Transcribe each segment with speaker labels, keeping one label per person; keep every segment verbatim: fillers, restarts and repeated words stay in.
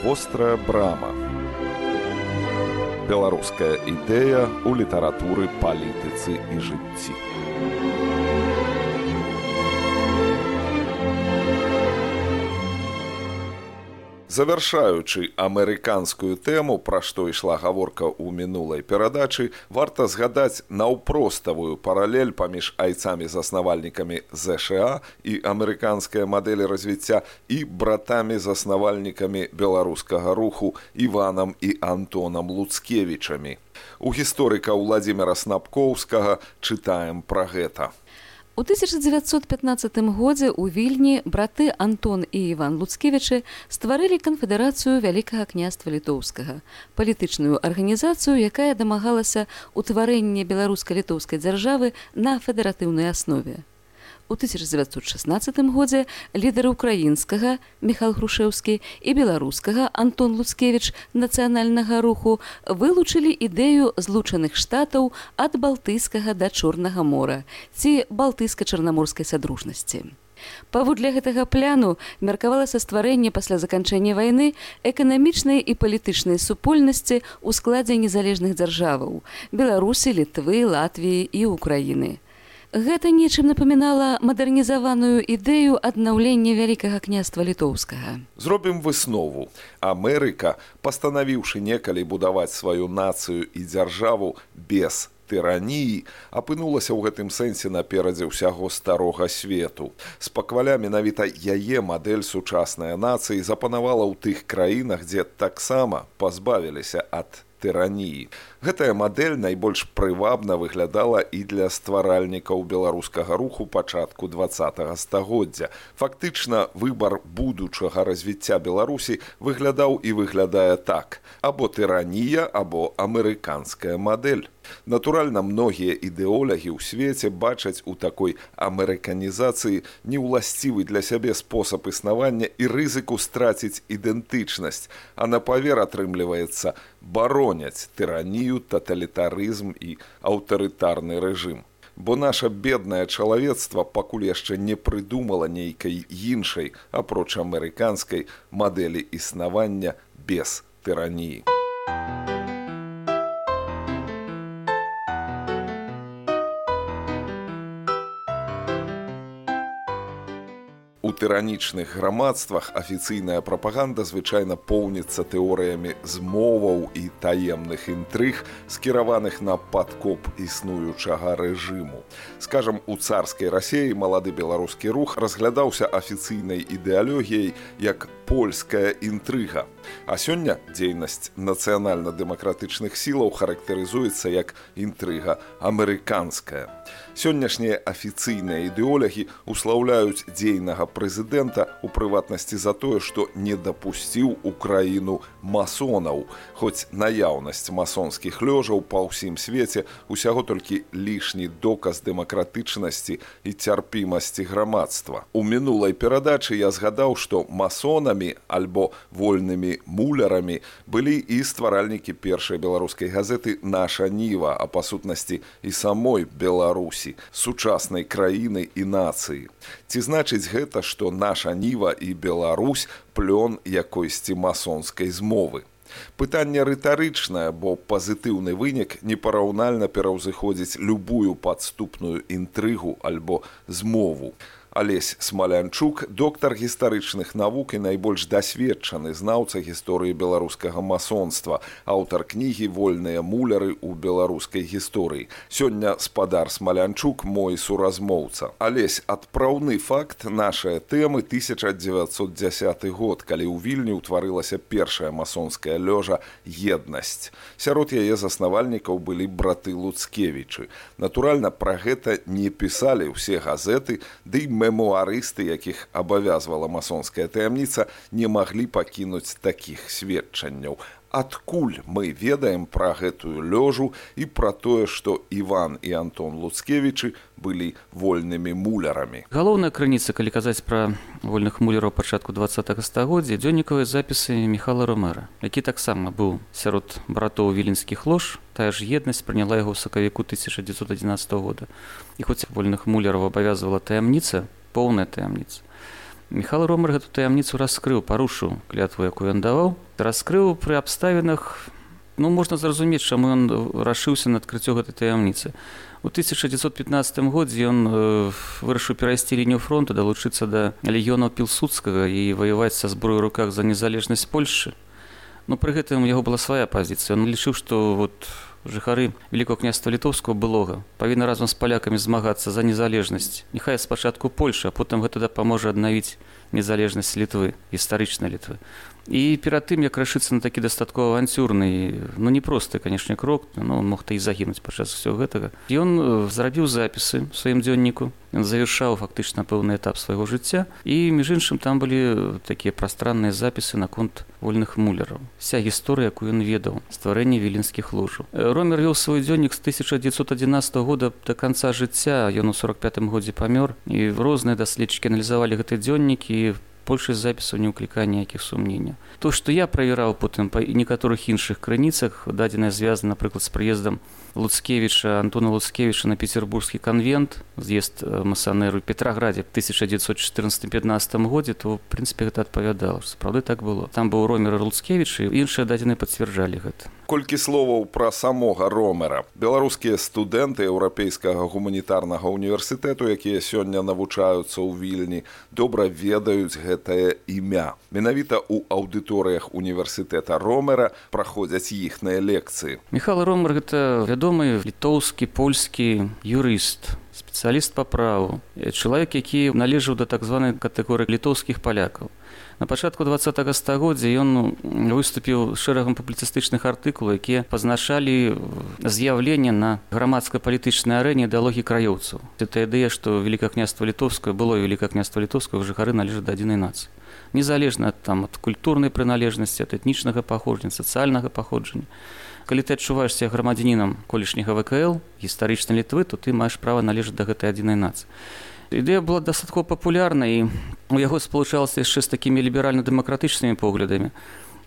Speaker 1: Вострая брама. Беларуская ідэя ў літаратуры, палітыцы і жыцці. Завяршаючы амерыканскую тэму, пра што ішла гаворка ў мінулай перадачы, варта згадаць наўпроставую паралель паміж айцамі-заснавальнікамі ЗША і амерыканскай мадэлі развіцця і братамі-заснавальнікамі беларускага руху Іванам і Антонам Луцкевічамі. У гісторыка Владзіміра Снапкоўскага чытаем пра гэта.
Speaker 2: У тысяча дзевяцьсот пятнаццатым годзе ў Вільні браты Антон і Іван Луцкевічы стварылі канфедэрацыю Вялікага княства Літоўскага, палітычную арганізацыю, якая дамагалася ўтварэння беларуска-літоўскай дзяржавы на федэратыўнай аснове. У тысяча дзевяцьсот шаснаццатым годзе лідары украінскага Міхал Грушэўскі і беларускага Антон Луцкевіч нацыянальнага руху вылучылі ідэю злучаных штатаў ад Балтыйскага да Чорнага мора ці балтыйска-чарнаморскай садружнасці. Паводле гэтага пляну меркавалася стварэнне пасля заканчэння вайны эканамічнай і палітычнай супольнасці ў складзе незалежных дзяржаваў Беларусі, Літвы, Латвіі і Украіны. Гэта нечым напамінала мадэрнізаваную ідэю аднаўлення Вялікага княства Літоўскага.
Speaker 1: Зробім выснову. Амерыка, пастанавіўшы некалі будаваць сваю нацыю і дзяржаву без тыраніі, апынулася ў гэтым сэнсе наперадзе ўсяго старога свету. Спакваля менавіта яе мадэль сучаснай нацыі запанавала ў тых краінах, дзе таксама пазбавіліся ад тыраніі. Гэтая мадэль найбольш прывабна выглядала і для стваральнікаў беларускага руху пачатку дваццатага стагоддзя. Фактычна, выбар будучага развіцця Беларусі выглядаў і выглядае так: або тыранія, або амерыканская мадэль. Натуральна, многія ідэолагі ў свеце бачаць у такой амерыканізацыі неўласцівы для сябе спосаб існавання і рызыку страціць ідэнтычнасць, а на павер атрымліваецца бароняць тыранію, таталітарызм і аўтарытарны рэжым. Бо наша беднае чалавецтва пакуль яшчэ не прыдумала нейкай іншай, апроч амерыканскай, мадэлі існавання без тыраніі. У тыранічных грамадствах афіцыйная прапаганда звычайна поўніцца тэорыямі змоваў і таемных інтрыг, скіраваных на падкоп існуючага рэжыму. Скажам, у царскай Расіі малады беларускі рух разглядаўся афіцыйнай ідэалогіяй як польская інтрыга. А сёння дзейнасць нацыянальна-дэмакратычных сілаў характарызуецца як інтрыга амерыканская. Сённяшнія афіцыйныя ідэолагі услаўляюць дзейнага прэзідэнта у прыватнасці за тое, што не дапусціў у краіну масонаў, хоць наяўнасць масонскіх лёжаў па ўсім свеце усяго толькі лішні доказ дэмакратычнасці і цярпімасці грамадства. У мінулай перадачы я згадаў, што масонамі альбо вольнымі мулярамі былі і стваральнікі першай беларускай газеты «Наша Ніва», а па сутнасці і самой Беларусі, сучаснай краіны і нацыі. Ці значыць гэта, што наша Ніва і Беларусь плён якойсьці масонскай змовы? Пытанне рытарычнае, бо пазітыўны вынік непараўнальна пераўзыходзіць любую падступную інтрыгу альбо змову. Алесь Смалянчук, доктар гістарычных навук і найбольш дасведчаны знаўца гісторыі беларускага масонства, аўтар кнігі «Вольныя муляры ў беларускай гісторыі». Сёння спадар Смалянчук мой суразмоўца. Алесь, адпраўны факт нашай тэмы тысяча дзевяцьсот дзясяты год, калі ў Вільні ўтварылася першая масонская лёжа «Еднасць». Сярод яе заснавальнікаў былі браты Луцкевічы. Натуральна, пра гэта не пісалі ўсе газеты, ды і мемуарысты, якіх абавязвала масонская таямніца, не маглі пакінуць такіх сведчанняў. Адкуль мы ведаем пра гэтую лёжу і пра тое, што Іван і Антон Луцкевічы былі вольнымі мулярамі?
Speaker 3: Галоўная крыніца, калі казаць пра вольных муляраў пачатку дваццатага стагоддзя, дзённікавыя запісы Міхала Ромера, які таксама быў сярод братоў віленскіх лож. Тая ж еднасць прыняла яго ў сакавіку тысяча дзевяцьсот адзінаццатага года. І хоць вольных муляраў абавязвала таямніца, поўная таямніца, Міхал Ромар гэту таямніцу раскрыў, парушыў клятву, якую ён даваў. Раскрыў пры абставінах, ну, можна зразумець, чаму ён рашыўся на адкрыццё гэтай таямніцы. У тысяча дзевяцьсот пятнаццатым годзе ён э, вырашыў перайсці лінію фронту, далучыцца да легіёнаў Пілсудскага і ваяваць са зброяй у руках за незалежнасць Польшчы. Но пры гэтым у яго была свая пазіцыя. Ён лічыў, што вот жыхары Великого княства Літоўскага былога павінны разам з палякамі змагацца за незалежнасць. Няхай спачатку Польша, а потым гэта дапаможа аднавіць незалежнасць Літвы, гістарычнай Літвы. І перад тым, як рашыцца на такі дастаткова авантюрны, ну не просты, канешне, крок, ну, мог та і загінуць падчас усяго гэтага. Ён зрабіў запісы ў сваім дзённіку, ён завяршаў фактычна пэўны этап свайго жыцця, і, між іншым, там былі такія прастранныя запісы наконт вольных муляраў. Вся гісторыя, якую ён ведаў, стварэнне віленскіх ложаў. Ромер вёў свой дзённік з тысяча дзевяцьсот адзінаццатага года да канца жыцця, ён у сорок пятым годзе памёр, і розныя даследчыкі аналізавалі гэты дзённік, і большасць запісаў не ўклікае ніякіх сумненняў. То, што я правяраў потым па некаторых іншых крыніцах, дадзенае звязана, напрыклад, з прыездам Луцкевіча, Антона Луцкевіча на петербургскі канвент, з'езд масанеру ў Петраградзе в тысяча дзевяцьсот чатырнаццатым пятнаццатым годзе, то, в прынцыпе, гэта адпавядала, што сапраўды так было. Там быў Ромер і Луцкевіч, і іншыя дадзеныя пацвярджалі гэта.
Speaker 1: Колькі словаў пра самога Ромера. Беларускія студэнты Еўрапейскага гуманітарнага універсітэту, якія сёння навучаюцца ў Вільні, добра ведаюць гэтае імя. Менавіта ў аўдыторыях універсітэта Ромера праходзяць іхныя лекцыі.
Speaker 3: Міхал Ромер – гэта вядомы літоўскі, польскі юрыст, спецыяліст па праву, чалавек, які належаў да так званай катэгорыі літоўскіх палякаў. На пачатку дваццатага стагоддзя ён выступіў шэрагам публіцыстычных артыкулаў, якія пазначалі з'яўленне на грамадска-палітычнай арэне ідэалогіі краёўцаў. Гэта ідэя, што Великое княства Літоўскае, было Великое княства Літоўскага, жыхары належаць да адзінай нацыі. Незалежна там, ад культурнай прыналежнасці, ад этнічнага паходжання, сацыяльнага паходжання. Калі ты адчуваеш себя грамадзянінам колішняга вэ ка эл, гістарычнай Літвы, то ты маеш права належаць да гэтай адзінай нацыі. Ідэя была дастаткова папулярна, і у яго спалучалася яшчэ з такімі ліберальна-дэмакратычнымі поглядамі.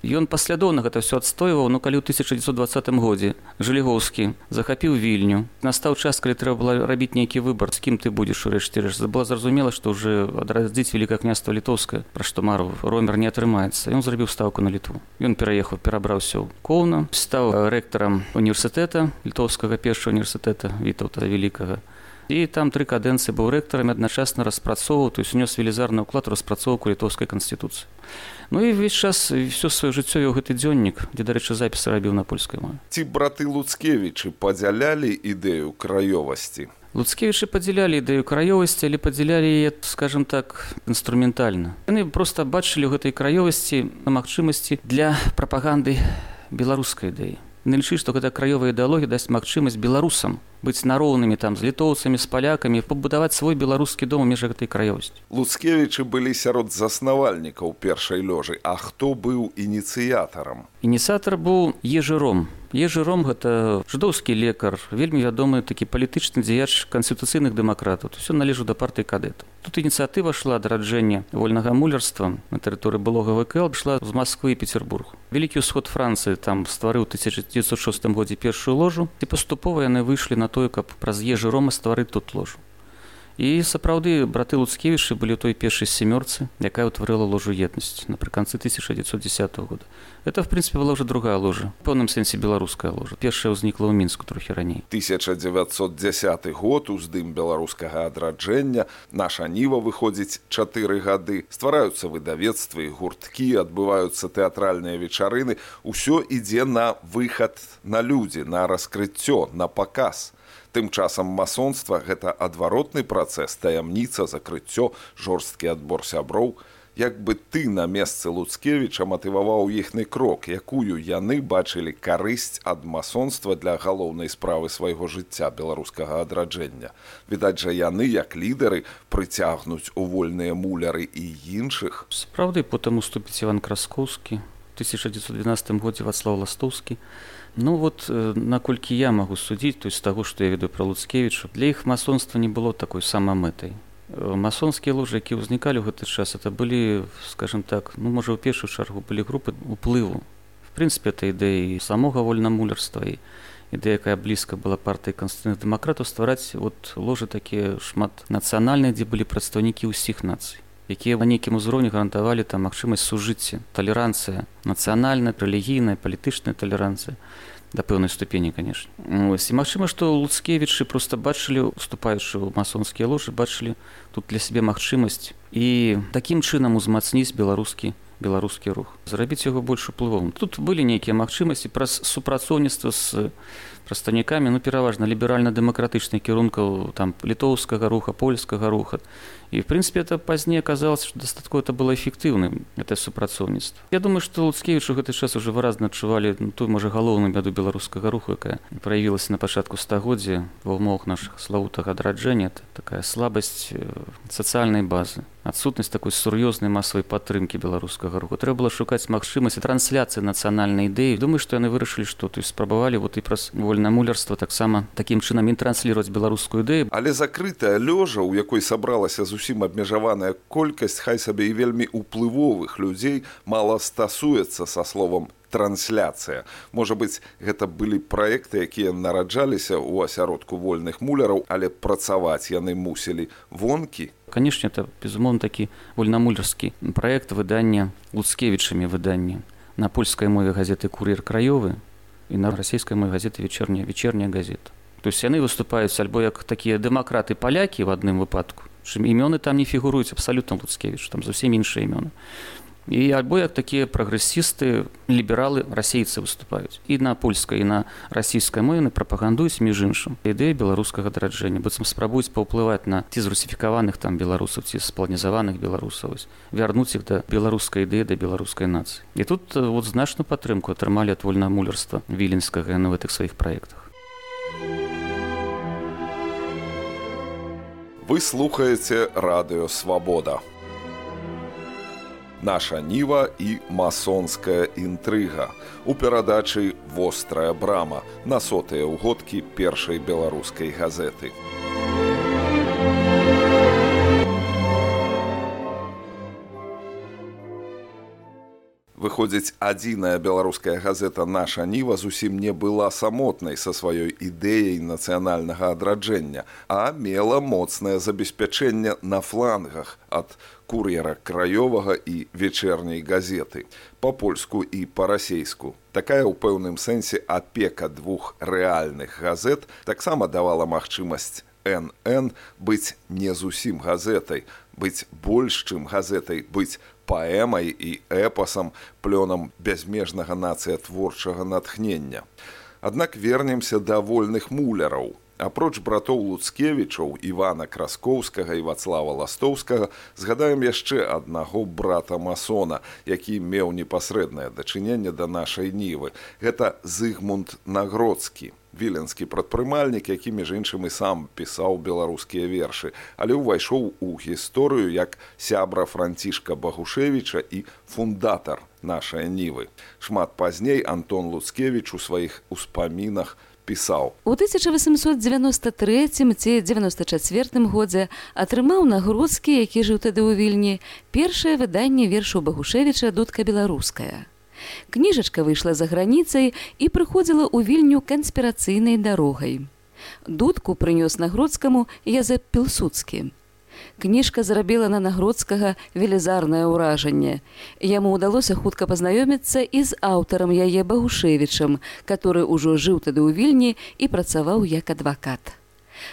Speaker 3: Ён паслядоўна гэта ўсё адстойваў, но калі ў тысяча дзевяцьсот дваццатым годзе Жалігоўскі захапіў Вільню, настаў час, калі трэба было рабіць нейкі выбар, з кім ты будзеш урэшце рэшт. Было зразумела, што ўжо адрадзіць Великое княства Літоўскае, пра што марыў Ромер, не атрымаецца. Ён зрабіў стаўку на Літву. Ён пераехаў, перабраўся ў Коўна, стаў рэктарам універсітэта, літоўскага першага універсітэта Вітаўта Вялікага. І там тры кадэнцыі быў рэктарам, адначасна распрацоўваў, то есть унёс велізарны ўклад у распрацоўку літоўскай канстытуцыі. Ну і ўвесь час, ўсё сваё жыццё вёў гэты дзённік, дзе, дарэчы, запісы рабіў на польскай мове.
Speaker 1: Ці браты Луцкевічы падзялялі ідэю краёвасці?
Speaker 3: Луцкевічы падзялялі ідэю краёвасці, але падзялялі яе, скажам так, інструментальна. Яны проста бачылі ў гэтай краёвасці магчымасці для прапаганды беларускай ідэі. Яны лічылі, што гэта краёвая ідэалогія дасць магчымасць беларусам быць нароўнымі там з літоўцамі, з палякамі, пабудаваць свой беларускі дом у межах гэтай краёвасці.
Speaker 1: Луцкевічы былі сярод заснавальнікаў першай лёжы, а хто быў ініцыятарам?
Speaker 3: Ініцыятар быў Ежы Ром. Ежы Ром – гэта жыдоўскі лекар, вельмі вядомы такі палітычны дзеяч канстытуцыйных дэмакратаў. Усё належаў да партыі кадэтаў. Тут ініцыятыва шла да раджэння вольнага мулярства на тэрыторыі былога вэ ка эл, шла з Масквы і Петербург. Вялікі ўсход Францыі там стварыў у тысяча дзевяцьсот шостым годзе першую ложу, і паступова яны выйшлі на тое, каб праз Ежы Рома стварыць тут ложу. І сапраўды браты Луцкевічы былі ў той першай сямёрцы, якая ўтварыла ложу еднасць напрыканцы тысяча дзевяцьсот дзесятага года. Это, в принципе, была уже другая ложа, в пэўным сэнсе беларуская ложа. Першая ўзнікла ў Мінску трохі раней.
Speaker 1: тысяча дзевяцьсот дзесяты год, уздым беларускага адраджэння, наша ніва выходзіць чатыры гады, ствараюцца выдавецтвы, гурткі, адбываюцца тэатральныя вечарыны, усё ідзе на выхад на людзі, на раскрыццё, на паказ. Тым часам масонства – гэта адваротны працэс, таямніца, закрыццё, жорсткі адбор сяброў. Як бы ты на месцы Луцкевіча матываваў іхны крок, якую яны бачылі карысць ад масонства для галоўнай справы свайго жыцця беларускага адраджэння. Відаць жа яны, як лідары, прыцягнуць у вольныя муляры і іншых.
Speaker 3: Сапраўды, потым уступіць Іван Краскоўскі, у тысяча дзевяцьсот дванаццатым годзе Вацлаў Ластоўскі. Ну вот, наколькі я магу судзіць, то есть з таго, што я ведаю пра Луцкевіча, для іх масонства не было такой самамэтай. Масонскія ложы, якія ўзнікалі ў гэты час, это былі, скажем так, ну, можа, ў першую чаргу былі групы уплыву. В прынцыпе, это ідэя і самога вольнамулярства, і ідэя, якая блізка была партыі канстытуцыйных дэмакратаў, ствараць вот ложы такія шмат нацыянальныя, дзе былі прадстаўнікі ўсіх нацый. якія на нейкім узроўні гарантавалі там магчымасць сужыцця, талеранцыя, нацыянальная, рэлігійная, палітычная талеранцыя. Да пэўнай ступені, конечно. Ось. І магчыма, што Луцкевічы проста бачылі, уступаючы ў масонскія ложы, бачылі тут для сябе магчымасць і такім чынам узмацніць беларускі беларускі рух, зрабіць яго больш уплывовым. Тут былі нейкія магчымасці праз супрацоўніцтва з прадстаўнікамі, ну, пераважна ліберальна-дэмакратычных кірункаў там літоўскага руха, польскага руха. І, в прынцыпе, это пазней аказалася, што дастаткова это было эфектыўным, гэта супрацоўніцтва. Я думаю, што Луцкевіч у гэты час уже выразна адчувалі ну, тую, можа, галоўную бяду беларускага руху, якая праявілася на пачатку стагоддзя ва ўмовах нашых славутага адраджэння. Это такая слабасць сацыяльнай базы, адсутнасць такой сур'ёзнай масавай падтрымкі беларускага руху. Трэба было шукаць магчымасць трансляцыі нацыянальнай ідэі. Думаю, што яны вырашылі, што то есть спрабавалі вот і праз вольнае мулярства таксама такім чынам і трансліраваць беларускую ідэю.
Speaker 1: Але закрытая лёжа, у якой сабралася зусім абмежаваная колькасць, хай сабе і вельмі уплывовых людзей, мала стасуецца са словам трансляцыя. Можа быць, гэта былі праекты, якія нараджаліся ў асяродку вольных муляраў, але працаваць яны мусілі вонкі.
Speaker 3: Конечно, это, безумоўна, такі вольнамулярскі праект выдання Луцкевічамі выдання на польскай мове газеты «Кур'ер краёвы» і на расійскай мове газеты «Вечерняя, вечерняя газета». То есть яны выступаюць альбо як такія дэмакраты-палякі в адным выпадку, чым імёны там не фігуруюць абсалютна Луцкевіч, там зусім іншыя імёны. І альбо як такія прагрэсісты, лібералы, расейцы выступаюць. І на польскай, і на расійскай мове прапагандуюць, між іншым, ідэю беларускага адраджэння. Быццам спрабуюць паўплываць на ці зрусіфікаваных там беларусаў, ці спланізаваных беларусаў, вярнуць іх да беларускай ідэі, да беларускай нацыі. І тут вот значную падтрымку атрымалі ад вольнага мулярства віленскага на гэтых сваіх праектах.
Speaker 1: Вы слухаеце радыё «Свабода». Наша ніва і масонская інтрыга у перадачы «Вострая брама» на сотыя ўгодкі першай беларускай газеты. Выходзіць, адзіная беларуская газета «Наша ніва» зусім не была самотнай са сваёй ідэяй нацыянальнага адраджэння, а мела моцнае забеспячэнне на флангах ад «Кур'ера краёвага» і «Вечерняй газеты» па-польску і па-расейску. Такая ў пэўным сэнсе апека двух рэальных газет таксама давала магчымасць эн эн быць не зусім газетай, быць больш, чым газетай, быць паэмай і эпасам, плёнам бязмежнага нацыятворчага натхнення. Аднак вернемся да вольных муляраў. Апроч братоў Луцкевічаў, Івана Краскоўскага і Вацлава Ластоўскага, згадаем яшчэ аднаго брата-масона, які меў непасрэднае дачыненне да нашай нівы. Гэта Зыгмунд Нагродскі, віленскі прадпрымальнік, які, між іншым, і сам пісаў беларускія вершы, але ўвайшоў у гісторыю як сябра Францішка Багушевіча і фундатар нашай нівы. Шмат пазней Антон Луцкевіч у сваіх успамінах пісаў.
Speaker 2: У тысяча васемсот дзевяноста трэцім ці дзевяноста чацвёртым годзе атрымаў Нагродскі, які жыў тады ў Вільні, першае выданне вершаў Багушевіча «Дудка беларуская». Кніжачка выйшла за граніцай і прыходзіла ў Вільню канспірацыйнай дарогай. Дудку прынёс Нагродскаму Язэп Пілсудскі. Кніжка зрабіла на Нагродскага велізарнае ўражанне. Яму ўдалося хутка пазнаёміцца і з аўтарам яе Багушевічам, который ўжо жыў тады ў Вільні і працаваў як адвакат.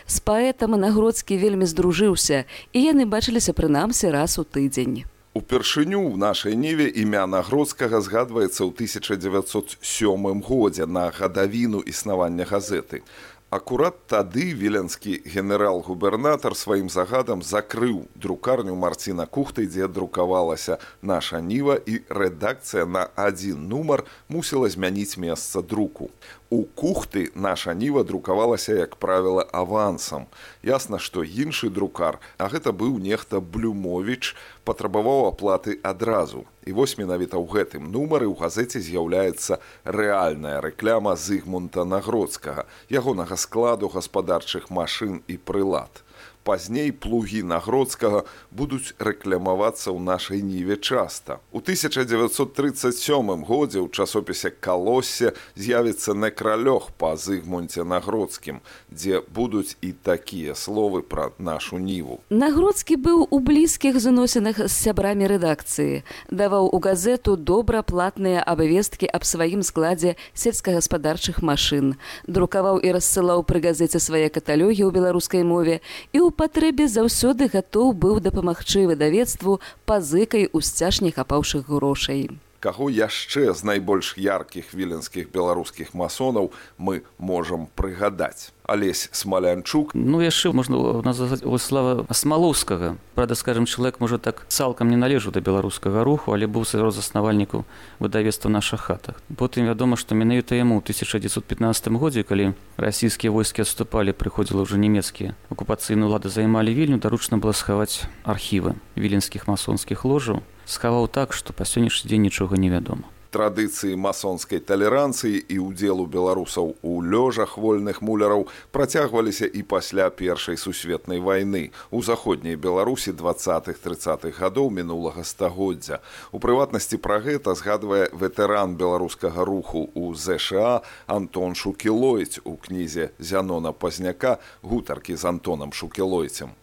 Speaker 2: З паэтам Нагродскі вельмі здружыўся, і яны бачыліся прынамсі раз у тыдзень.
Speaker 1: Упершыню ў нашай ніве імя Нагродскага згадваецца ў тысяча дзевяцьсот сёмым годзе на гадавіну існавання газеты. Акурат тады віленскі генерал-губернатар сваім загадам закрыў друкарню Марціна Кухты, дзе друкавалася наша ніва, і рэдакцыя на адзін нумар мусіла змяніць месца друку. У Кухты наша ніва друкавалася, як правіла, авансам. Ясна, што іншы друкар, а гэта быў нехта Блюмовіч, патрабаваў аплаты адразу. І вось менавіта ў гэтым нумары ў газеце з'яўляецца рэальная рэкляма Зыгмунта Нагродскага, ягонага складу гаспадарчых машын і прылад. Пазней плугі Нагродскага будуць рэкламавацца ў нашай ніве часта. У тысяча дзевяцьсот трыццаць сёмым годзе ў часопісе «Калоссе» з'явіцца некралёг па Зыгмунце Нагродскім, дзе будуць і такія словы пра нашу ніву.
Speaker 2: Нагродскі быў у блізкіх зносінах з сябрамі рэдакцыі, даваў у газету добра платныя абвесткі аб сваім складзе сельскагаспадарчых машын, друкаваў і рассылаў пры газеце свае каталогі ў беларускай мове і ў патрэбе заўсёды гатоў быў дапамагчы выдавецтву пазыкай у сцяж не хапаўшых грошай.
Speaker 1: Каго яшчэ з найбольш яркіх віленскіх беларускіх масонаў мы можам прыгадаць? Алесь Смалянчук.
Speaker 3: Ну, яшчэ можна назваць Слава Смалоўскага. Правда, скажем, чалавек, можа, так цалкам не належаў да беларускага руху, але быў сярод заснавальнікаў выдавецтва «Наша хата». Потым вядома, што менавіта яму ў тысяча дзевяцьсот пятнаццатым годзе, калі расійскія войскі адступалі, прыходзілі ўжо нямецкія акупацыйныя ўлады займалі Вільню, даручна было схаваць архівы віленскіх масонскіх ложаў. Схаваў так, што па сённяшні дзень нічога не вядома.
Speaker 1: Традыцыі масонскай талеранцыі і ўдзелу беларусаў у лёжах вольных муляраў працягваліся і пасля Першай сусветнай вайны у заходняй Беларусі дваццатых-трыццатых гадоў мінулага стагоддзя. У прыватнасці пра гэта згадвае ветэран беларускага руху ў ЗША Антон Шукілойць у кнізе Зянона Пазняка «Гутаркі з Антонам Шукілойцем».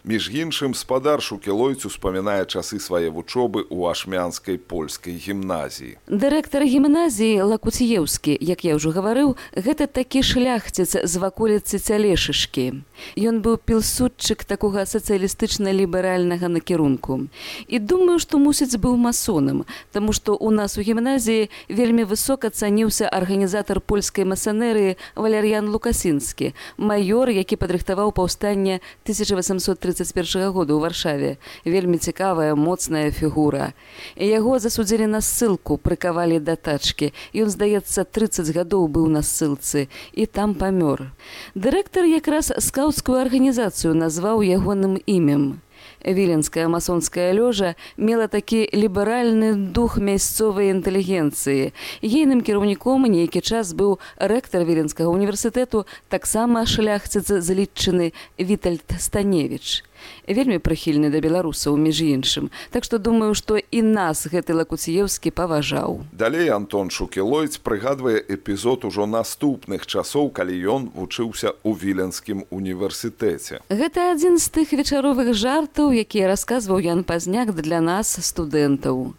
Speaker 1: Між іншым, спадар Шукілойць успамінае часы свае вучобы ў ашмянскай польскай гімназіі.
Speaker 2: Дырэктар гімназіі Лакуціеўскі, як я ўжо гаварыў, гэта такі шляхціц з ваколіцы Цялешышкі. Ён быў пілсудчык такога сацыялістычна-ліберальнага накірунку. І думаю, што, мусіць, быў масонам, таму што ў нас у гімназіі вельмі высока цаніўся арганізатар польскай масанерыі Валер'ян Лукасінскі, маёр, які падрыхтаваў паўстанне тысяча васямсот трыццаць першага года ў Варшаве. Вельмі цікавая, моцная фігура. Яго засудзілі на ссылку, прыкавалі да тачкі. Ён, здаецца, трыццаць гадоў быў на ссылцы і там памёр. Дырэктар якраз скаўцкую арганізацыю назваў ягоным імем. Віленская масонская лёжа мела такі ліберальны дух мясцовай інтэлігенцыі. Ейным кіраўніком нейкі час быў рэктар Віленскага універсітэту, таксама шляхціц зліччыны Вітальд Станевіч. Вельмі прыхільны да беларусаў, між іншым. Так што думаю, што і нас гэты Лакуціеўскі паважаў.
Speaker 1: Далей Антон Шукілойць прыгадвае эпізод ужо наступных часоў, калі ён вучыўся ў Віленскім універсітэце.
Speaker 2: Гэта адзін з тых вечаровых жартаў, якія расказваў Ян Пазняк для нас, студэнтаў.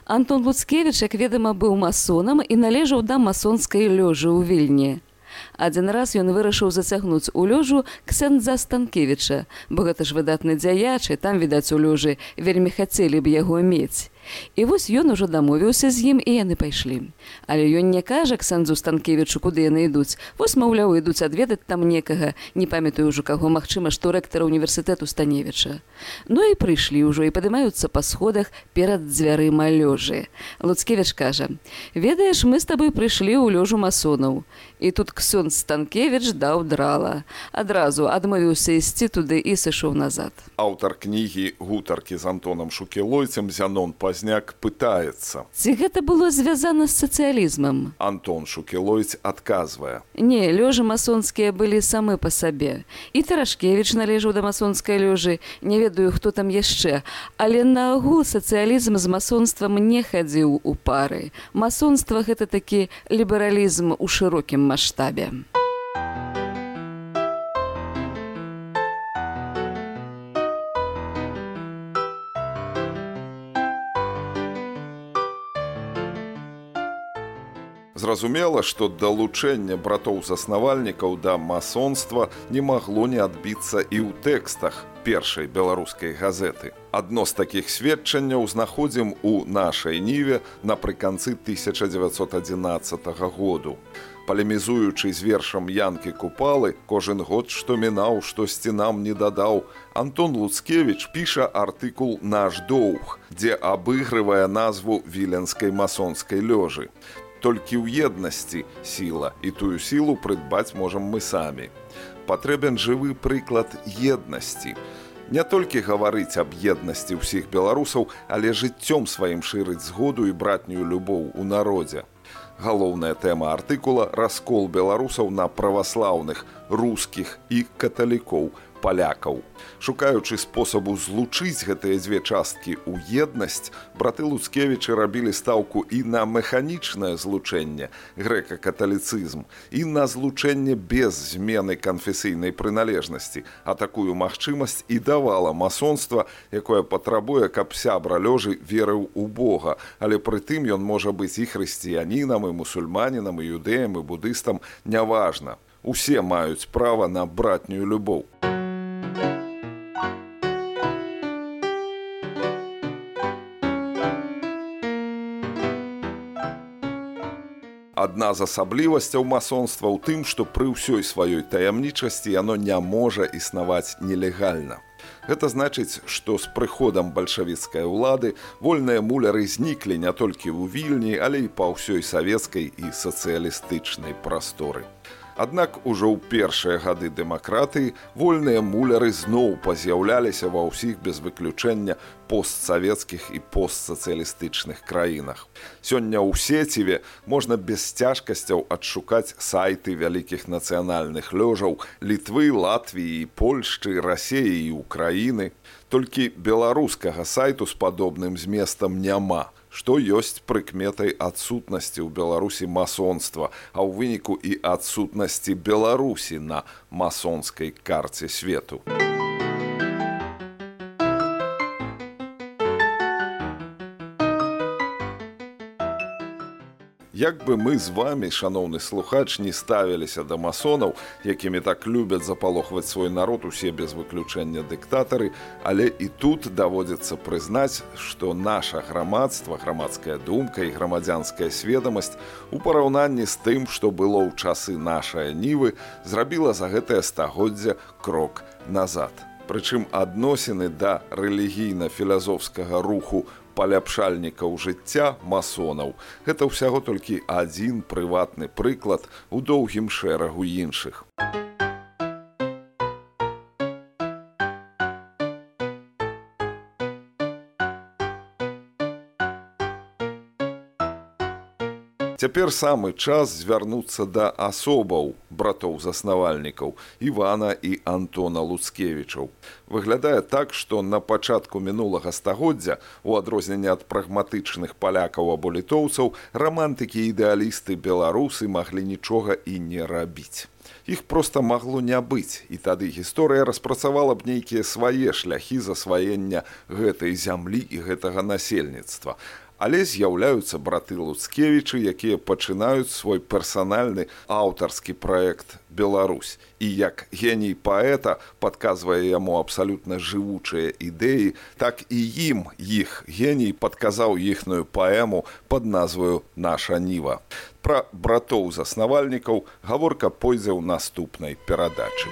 Speaker 2: Антон Луцкевіч, як ведама, быў масонам і належаў да масонскай лёжы ў Вільні. Адзін раз ён вырашыў зацягнуць у лёжу ксяндза Станкевіча, бо гэта ж выдатны дзяяч, і там, відаць, у лёжы вельмі хацелі б яго мець. І вось ён ужо дамовіўся з ім, і яны пайшлі. Але ён не кажа ксяндзу Станкевічу, куды яны ідуць. Вось, маўляў, ідуць адведаць там некага, не памятаю ўжо каго, магчыма, што рэктара універсітэту Станевіча. Ну і прыйшлі ўжо, і падымаюцца па сходах перад дзвярыма лёжы. Луцкевіч кажа: «Ведаеш, мы з табой прыйшлі ў лёжу масонаў». І тут ксёндз Станкевіч даў драла. Адразу адмовіўся ісці туды і сышоў назад.
Speaker 1: Аўтар кнігі «Гутаркі з Антонам Шукілойцем» Зянон Пазняк пытаецца:
Speaker 2: ці гэта было звязана з сацыялізмам?
Speaker 1: Антон Шукілойць адказвае:
Speaker 2: Не, лёжы масонскія былі самы па сабе. І Тарашкевіч належаў да масонскай лёжы, не ведаю, хто там яшчэ. Але наогул сацыялізм з масонствам не хадзіў у пары. Масонства — гэта такі лібералізм у шырокім маштабе.
Speaker 1: Зразумела, што далучэнне братоў-заснавальнікаў да масонства не магло не адбіцца і ў тэкстах першай беларускай газеты. Адно з такіх сведчанняў знаходзім у нашай ніве напрыканцы тысяча дзевяцьсот адзінаццатага году. Палемізуючы з вершам Янкі Купалы «Кожен год, што мінаў, штосьці нам не дадаў», Антон Луцкевіч піша артыкул «Наш доўг», дзе абыгрывае назву віленскай масонскай лёжы. Толькі ў еднасці сіла, і тую сілу прыдбаць можам мы самі. Патрэбен жывы прыклад еднасці. Не толькі гаварыць аб еднасці ўсіх беларусаў, але жыццём сваім шырыць згоду і братнюю любоў у народзе. Галоўная тэма артыкула – раскол беларусаў на праваслаўных, рускіх і каталікоў, палякаў. Шукаючы спосабу злучыць гэтыя дзве часткі ў еднасць, браты Луцкевічы рабілі стаўку і на механічнае злучэнне, грэка-каталіцызм, і на злучэнне без змены канфесійнай прыналежнасці, а такую магчымасць і давала масонства, якое патрабуе, каб сябра лёжы верыў у Бога, але прытым ён можа быць і хрысціянінам, і мусульманінам, і юдэем, і будыстам, няважна. Усе маюць права на братнюю любоў. Адна з асаблівасцяў масонства ў тым, што пры ўсёй сваёй таямнічасці яно не можа існаваць нелегальна. Гэта значыць, што з прыходам бальшавіцкай улады вольныя муляры зніклі не толькі ў Вільні, але і па ўсёй савецкай і сацыялістычнай прасторы. Аднак ужо ў першыя гады дэмакратыі вольныя муляры зноў паз'яўляліся ва ўсіх без выключэння постсавецкіх і постсацыялістычных краінах. Сёння ў сеціве можна без цяжкасцяў адшукаць сайты вялікіх нацыянальных лёжаў Літвы, Латвіі, Польшчы, Расеі і Украіны. Толькі беларускага сайту з падобным зместам няма, што ёсць прыкметай адсутнасці ў Беларусі масонства, а ў выніку і адсутнасці Беларусі на масонскай карце свету. Як бы мы з вамі, шаноўны слухач, не ставіліся да масонаў, якімі так любяць запалохваць свой народ усе без выключэння дыктатары, але і тут даводзіцца прызнаць, што наша грамадства, грамадская думка і грамадзянская сведамасць у параўнанні з тым, што было ў часы нашай нівы, зрабіла за гэтае стагоддзя крок назад. Прычым адносіны да рэлігійна-філазофскага руху паляпшальнікаў жыцця масонаў – гэта ўсяго толькі адзін прыватны прыклад у доўгім шэрагу іншых. Цяпер самы час звярнуцца да асобаў братоў-заснавальнікаў Івана і Антона Луцкевічаў. Выглядае так, што на пачатку мінулага стагоддзя, у адрозненне ад прагматычных палякаў або літоўцаў, рамантыкі і ідэалісты беларусы маглі нічога і не рабіць. Іх проста магло не быць, і тады гісторыя распрацавала б нейкія свае шляхі засваення гэтай зямлі і гэтага насельніцтва. Але з'яўляюцца браты Луцкевічы, якія пачынаюць свой персанальны аўтарскі праект «Беларусь». І як геній паэта падказвае яму абсалютна жывучыя ідэі, так і ім іх геній падказаў іхную паэму пад назваю «Наша ніва». Пра братоў-заснавальнікаў гаворка пойдзе ў наступнай перадачы.